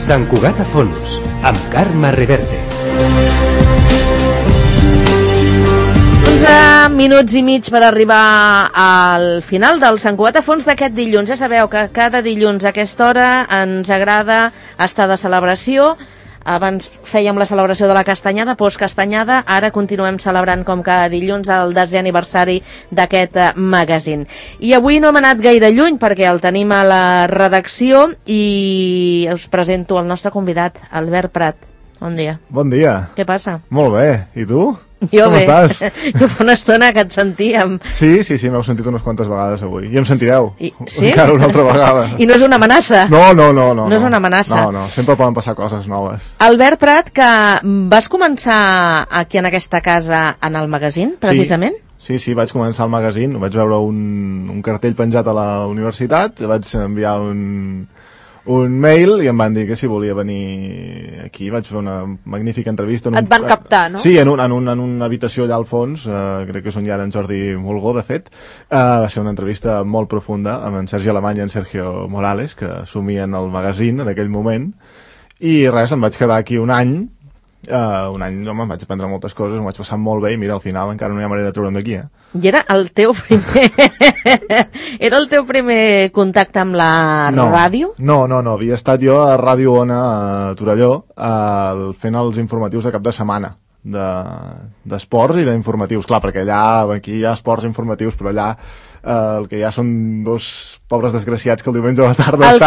Sant Cugat a fons, amb Carme Reverte. 11 minuts i mig per arribar al final del Sant Cugat a fons d'aquest dilluns. Ja sabeu que cada dilluns a aquesta hora ens agrada estar de celebració. Abans fèiem la celebració de la castanyada, postcastanyada, ara continuem celebrant com cada dilluns el 10è aniversari d'aquest magazín. I avui no hem anat gaire lluny perquè el tenim a la redacció i us presento el nostre convidat, Albert Prat. Bon dia. Bon dia. Què passa? Molt bé. I tu? Jo com bé. estàs? Jo fa una estona que et sentíem. Sí, m'heu sentit unes quantes vegades avui. I em sentireu. Sí? Encara una altra vegada. I no és una amenaça? No. No és una amenaça. No, sempre poden passar coses noves. Albert Prat, que vas començar aquí en aquesta casa en el magazín, precisament? Sí, vaig començar al magazín, vaig veure un cartell penjat a la universitat, vaig enviar un mail i em van dir que si volia venir aquí. Vaig fer una magnífica entrevista. Et van captar, no? Sí, en una habitació allà al fons, crec que és on hi ha en Jordi Mulgó, de fet. Va ser una entrevista molt profunda amb en Sergi Alemany i en Sergio Morales, que assumien el magazín en aquell moment. I res, em vaig quedar aquí un any, em vaig aprendre moltes coses, m'ho vaig passar molt bé i mira, al final encara no hi ha manera de treure'm d'aquí, I era el teu primer contacte amb la ràdio? No, havia estat jo a Ràdio Ona a Torelló fent els informatius de cap de setmana d'esports i d'informatius, clar, perquè aquí hi ha esports informatius, però allà el que hi ha són dos pobres desgraciats que el diumenge a la tarda el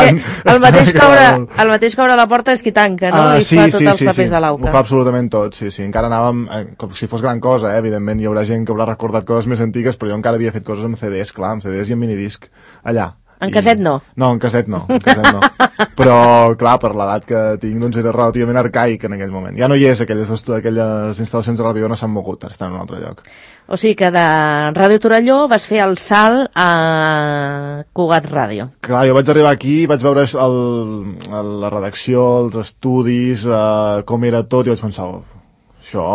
mateix que obre la porta és qui tanca, no? I fa tots els papers de l'auca. Ho fa absolutament tot, sí. Encara anàvem, com si fos gran cosa, evidentment hi haurà gent que haurà recordat coses més antigues, però jo encara havia fet coses amb CDs, clar, amb CDs i amb minidisc, allà. En caset no? No, en caset no. Però, clar, per l'edat que tinc, doncs era relativament arcaic en aquell moment. Ja no hi és, aquelles instal·lacions de ràdio no s'han mogut, estan en un altre lloc. O sigui que de Ràdio Torelló vas fer el salt a Cugat Ràdio. Clar, jo vaig arribar aquí, vaig veure la redacció, els estudis, com era tot, i vaig pensar, això,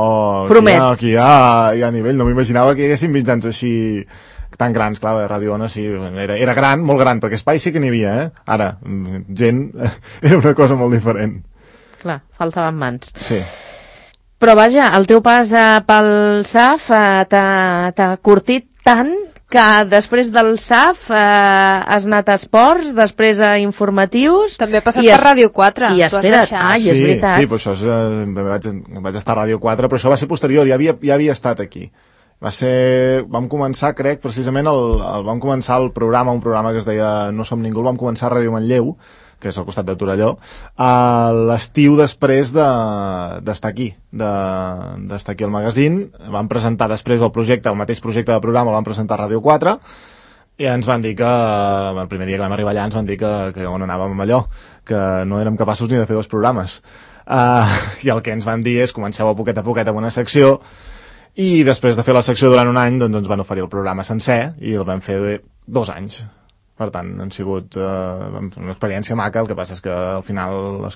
aquí hi ha nivell, no m'imaginava que hi haguessin mitjans així tan grans, clar, Ràdio Ona sí, era gran, molt gran, perquè espai sí que n'hi havia, Ara, gent, era una cosa molt diferent. Clar, faltaven mans. Sí. Però vaja, el teu pas pel SAF t'ha curtit tant que després del SAF has anat a esports, després a informatius... També ha passat per Ràdio 4. I espera't, és veritat. Sí, però això vaig estar a Ràdio 4, però això va ser posterior, ja havia estat aquí. Vam començar, crec, precisament vam començar un programa que es deia No som ningú, el vam començar a Ràdio Manlleu, que és al costat de Torelló, a l'estiu després d'estar aquí, d'estar aquí al magazín. Vam presentar després el mateix projecte de programa, el vam presentar a Ràdio 4, i ens van dir que, el primer dia que vam arribar allà, ens van dir que on anàvem amb allò, que no érem capaços ni de fer 2 programes. I el que ens van dir és, comenceu a poquet amb una secció, i després de fer la secció durant un any, doncs ens van oferir el programa sencer, i el vam fer 2 anys. Per tant, han sigut una experiència maca, el que passa és que al final els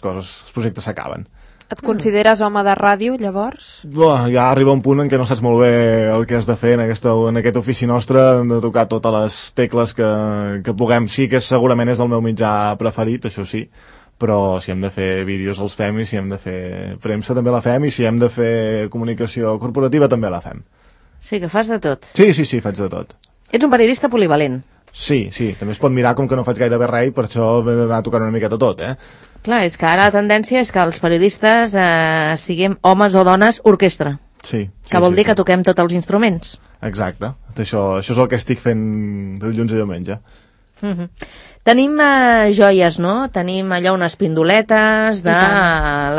projectes s'acaben. Et consideres home de ràdio, llavors? Ja arriba un punt en què no saps molt bé el que has de fer en aquest ofici nostre. Hem de tocar totes les tecles que puguem. Sí que segurament és el meu mitjà preferit, això sí, però si hem de fer vídeos els fem, i si hem de fer premsa també la fem, i si hem de fer comunicació corporativa també la fem. Sí, que fas de tot. Sí, faig de tot. Ets un periodista polivalent. Sí, també es pot mirar com que no faig gairebé res, i per això he d'anar tocant una miqueta tot, Clar, és que ara la tendència és que els periodistes siguem homes o dones orquestra. Sí. Que vol dir que toquem tots els instruments. Exacte. Això és el que estic fent de dilluns a diumenge. Tenim joies, no? Tenim allò unes pindoletes de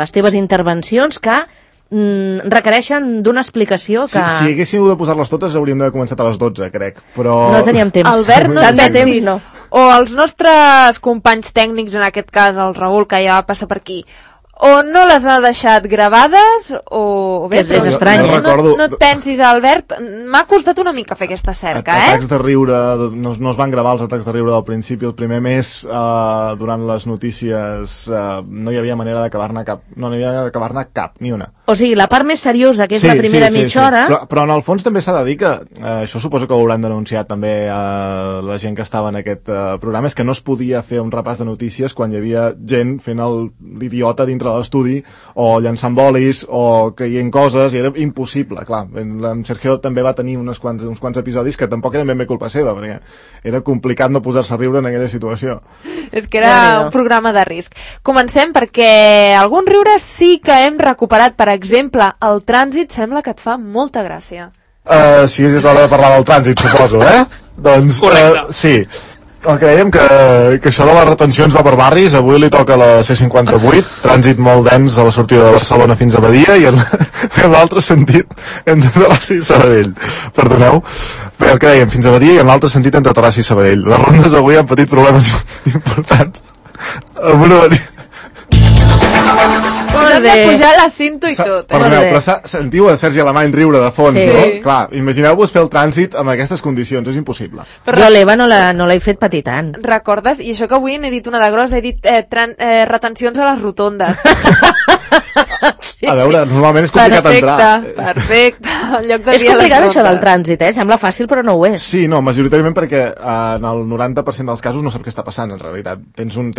les teves intervencions que requereixen d'una explicació que... Si haguéssim de posar-les totes hauríem d'haver començat a les 12, crec, però... No teníem temps. Albert, no temps, no. O els nostres companys tècnics, en aquest cas el Raül, que ja va passar per aquí, o no les ha deixat gravades, o bé, és estrany. No et pensis, Albert, m'ha costat una mica fer aquesta cerca, Atacs de riure, no es van gravar els atacs de riure del principi, el primer mes, durant les notícies, no hi havia manera d'acabar-ne cap, ni una. O sigui, la part més seriosa, que és la primera mitja hora... Però en el fons també s'ha de dir que, això suposo que ho hauran denunciat també la gent que estava en aquest programa, és que no es podia fer un repàs de notícies quan hi havia gent fent l'idiota dintre de l'estudi, o llançant bolis, o caient coses, i era impossible, clar. En Sergio també va tenir uns quants episodis que tampoc eren ben bé culpa seva, perquè era complicat no posar-se a riure en aquella situació. És que era un programa de risc. Comencem perquè algun riure sí que hem recuperat. Per exemple, el trànsit sembla que et fa molta gràcia. Sí, és hora de parlar del trànsit, suposo, Doncs, sí. El que dèiem que això de les retencions va per barris. Avui li toca la C58, trànsit molt dens a la sortida de Barcelona fins a Badia, i en l'altre sentit entre Terrassa i Sabadell. Perdoneu. Bé, el que dèiem, fins a Badia, i en l'altre sentit entre Terrassa i Sabadell. Les rondes avui han patit problemes importants. Amb una Hem de pujar la cinto i tot. Perdoneu, però sentiu a Sergi Alemany riure de fons, no? Clar, imagineu-vos fer el trànsit amb aquestes condicions, és impossible. Però l'Eva no l'he fet patir tant. Recordes? I això que avui n'he dit una de gros, he dit retencions a les rotondes. A veure, normalment és complicat entrar. Perfecte. És complicat això del trànsit, Sembla fàcil, però no ho és. Sí, no, majoritàriament perquè en el 90% dels casos no sap què està passant, en realitat. Tens una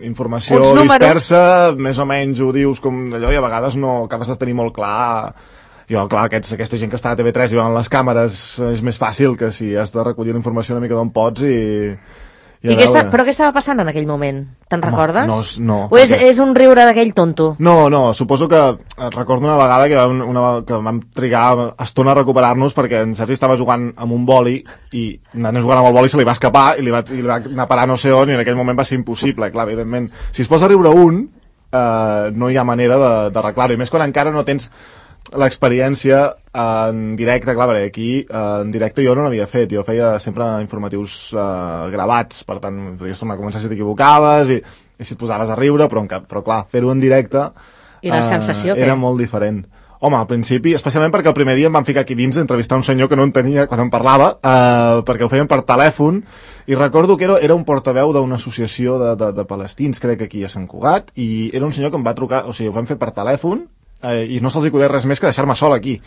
informació dispersa, més o menys ho dius com allò, i a vegades no acabes de tenir molt clar. Jo, clar, aquesta gent que està a TV3 i veuen les càmeres és més fàcil que si has de recollir la informació una mica d'on pots però què estava passant en aquell moment? Te'n recordes? No. O és un riure d'aquell tonto? No, suposo que recordo una vegada que vam trigar estona a recuperar-nos perquè en Sergi estava jugant amb un boli i anant jugant amb el boli se li va escapar i li va anar a parar no sé on, i en aquell moment va ser impossible. Clar, evidentment, si es posa a riure no hi ha manera d'arreglar-ho, i més quan encara no tens l'experiència en directe. Clar, perquè aquí en directe jo no n'havia fet, jo feia sempre informatius gravats, per tant podies tornar a començar si t'equivocaves i si et posaves a riure, però clar, fer-ho en directe i la sensació era molt diferent. Home, al principi, especialment perquè el primer dia em van ficar aquí dins a entrevistar un senyor que no entenia quan em parlava, perquè ho feien per telèfon, i recordo que era un portaveu d'una associació de palestins, crec que aquí a Sant Cugat, i era un senyor que em va trucar, o sigui, ho vam fer per telèfon, i no se'ls acudeix res més que deixar-me sol aquí.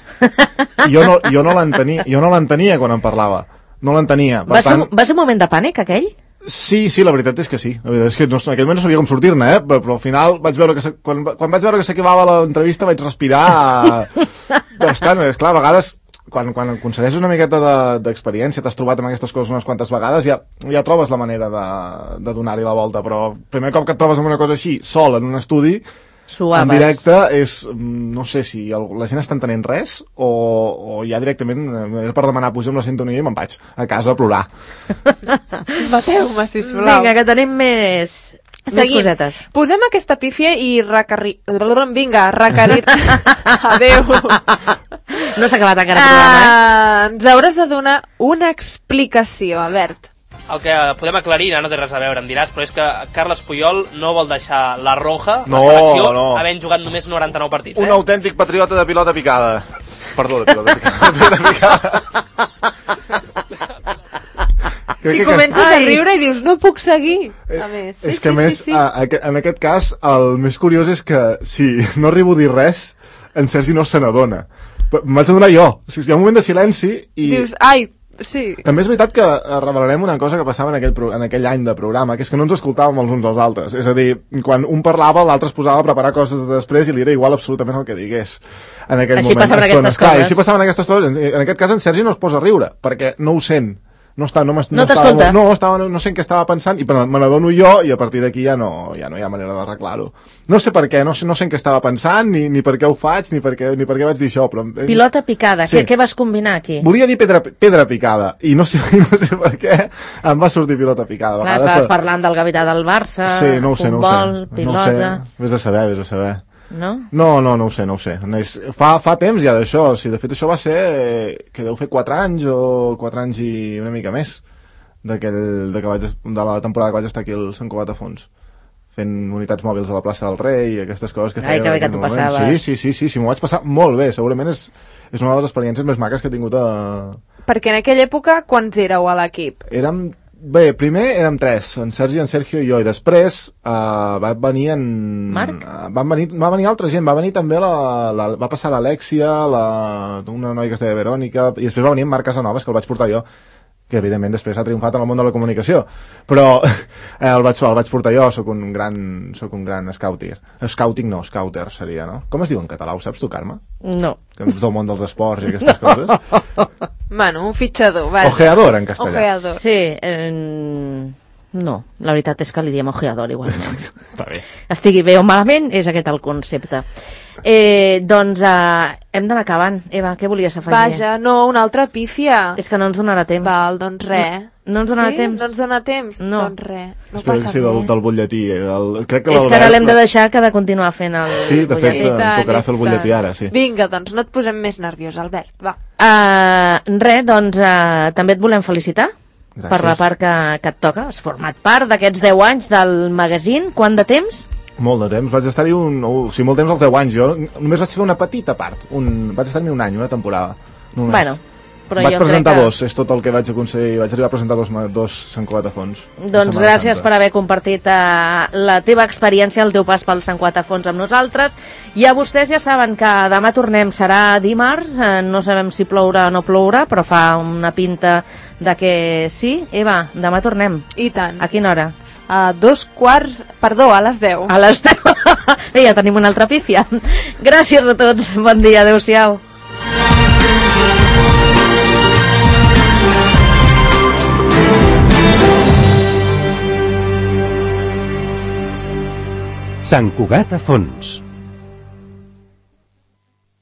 I jo no l'entenia quan em parlava. No l'entenia. Va ser un moment de pànic, aquell? Sí, la veritat és que sí. La veritat és que en aquell moment no sabia com sortir-ne, però al final vaig veure que quan vaig veure que s'acabava l'entrevista vaig respirar bastant. És clar, a vegades quan aconsegueixes una miqueta d'experiència, t'has trobat amb aquestes coses unes quantes vegades, ja trobes la manera de donar-hi la volta, però el primer cop que et trobes amb una cosa així, sol, en un estudi, suaves. En directe és, no sé si la gent està entenent res o ja directament era per demanar pujar amb la sintonia i me'n vaig a casa a plorar. Bateu-me, sisplau. Vinga, que tenim més cosetes. Posem aquesta pífia i vinga, adeu. No s'ha acabat encara el programa, Ens hauràs de donar una explicació, Albert. El que podem aclarir, no té res a veure, em diràs, però és que Carles Puyol no vol deixar la Roja, la selecció, havent jugat només 99 partits. Un autèntic patriota de pilota picada. Perdó, de pilota picada. I comences a riure i dius, no puc seguir. És que a més, en aquest cas, el més curiós és que si no arribo a dir res, en Sergi no se n'adona. M'haig de donar jo. Hi ha un moment de silenci i... Dius, ai, sí. També és veritat que revelarem una cosa que passava en aquell any de programa, que és que no ens escoltàvem els uns als altres. És a dir, quan un parlava, l'altre es posava a preparar coses després i li era igual absolutament el que digués en aquell moment. Així passaven aquestes coses. Així passaven aquestes coses. En aquest cas en Sergi no es posa a riure, perquè no ho sent. No t'escolta. No sé en què estava pensant i me n'adono jo i a partir d'aquí ja no hi ha manera d'arreglar-ho. No sé per què, no sé en què estava pensant ni per què ho faig, ni per què vaig dir això, però... Pilota picada, sí. Què vas combinar aquí? Volia dir pedra picada i no sé per què em va sortir pilota picada. Clar, estaves parlant del capità del Barça, futbol, pilota... Vés a saber. No? No ho sé. Fa temps ja d'això. De fet, això va ser que deu fer 4 anys o 4 anys i una mica més de la temporada que vaig estar aquí al Sant Cugat a Fons, fent unitats mòbils a la plaça del Rei i aquestes coses que feia. Ai, que bé que t'ho passaves. Sí, m'ho vaig passar molt bé. Segurament és una de les experiències més maques que he tingut Perquè en aquella època, quants éreu a l'equip? Érem Bé, primer érem 3, en Sergi, en Sergio i jo, i després va venir en... Marc? Va venir altra gent, va venir també va passar l'Alexia, una noia que es deia Verònica, i després va venir en Marc Casanovas, que el vaig portar jo, que evidentment després ha triomfat en el món de la comunicació, però el vaig portar jo, sóc un gran scouter. Scouter seria, no? Com es diu en català, ho saps tu, Carme? No. Que ets del món dels esports i aquestes coses. Bueno, un fitxador, vaja. Ojeador, en castellà. Ojeador. Sí, no, la veritat és que li diem ojeador igualment. Està bé. Estigui bé o malament, és aquest el concepte. Doncs hem d'anar acabant. Eva, què volies afegir? Vaja, no, una altra pífia. És que no ens donarà temps. Val, doncs res. No ens donarà temps? No ens dona temps? No. Doncs res, no espero passa que sigui res. del butlletí. Crec que És que ara l'hem de deixar que ha de continuar fent el Sí, de fet, butlletí. em tocarà fer el butlletí ara, sí. Vinga, doncs no et posem més nerviós, Albert, va. Res, doncs també et volem felicitar. Gràcies. Per la part que et toca. Has format part d'aquests 10 anys del magazine. Quant de temps? Molt de temps. Vaig estar-hi molt temps als 10 anys. Jo només vaig fer una petita part. Vaig estar-hi un any, una temporada. Només. Bueno, però vaig jo presentar crec que... dos, és tot el que vaig aconseguir. Vaig arribar a presentar dos Sant Cugat a Fons. Doncs gràcies per haver compartit la teva experiència, el teu pas pel Sant Cugat a Fons amb nosaltres. I a vostès ja saben que demà tornem, serà dimarts, no sabem si plourà o no plourà, però fa una pinta de que sí. Eva, demà tornem. I tant. A quina hora? A a les 10. A les 10. Bé, ja tenim una altra pífia. Gràcies a tots, bon dia, adeu-siau. Sant Cugat a Fons.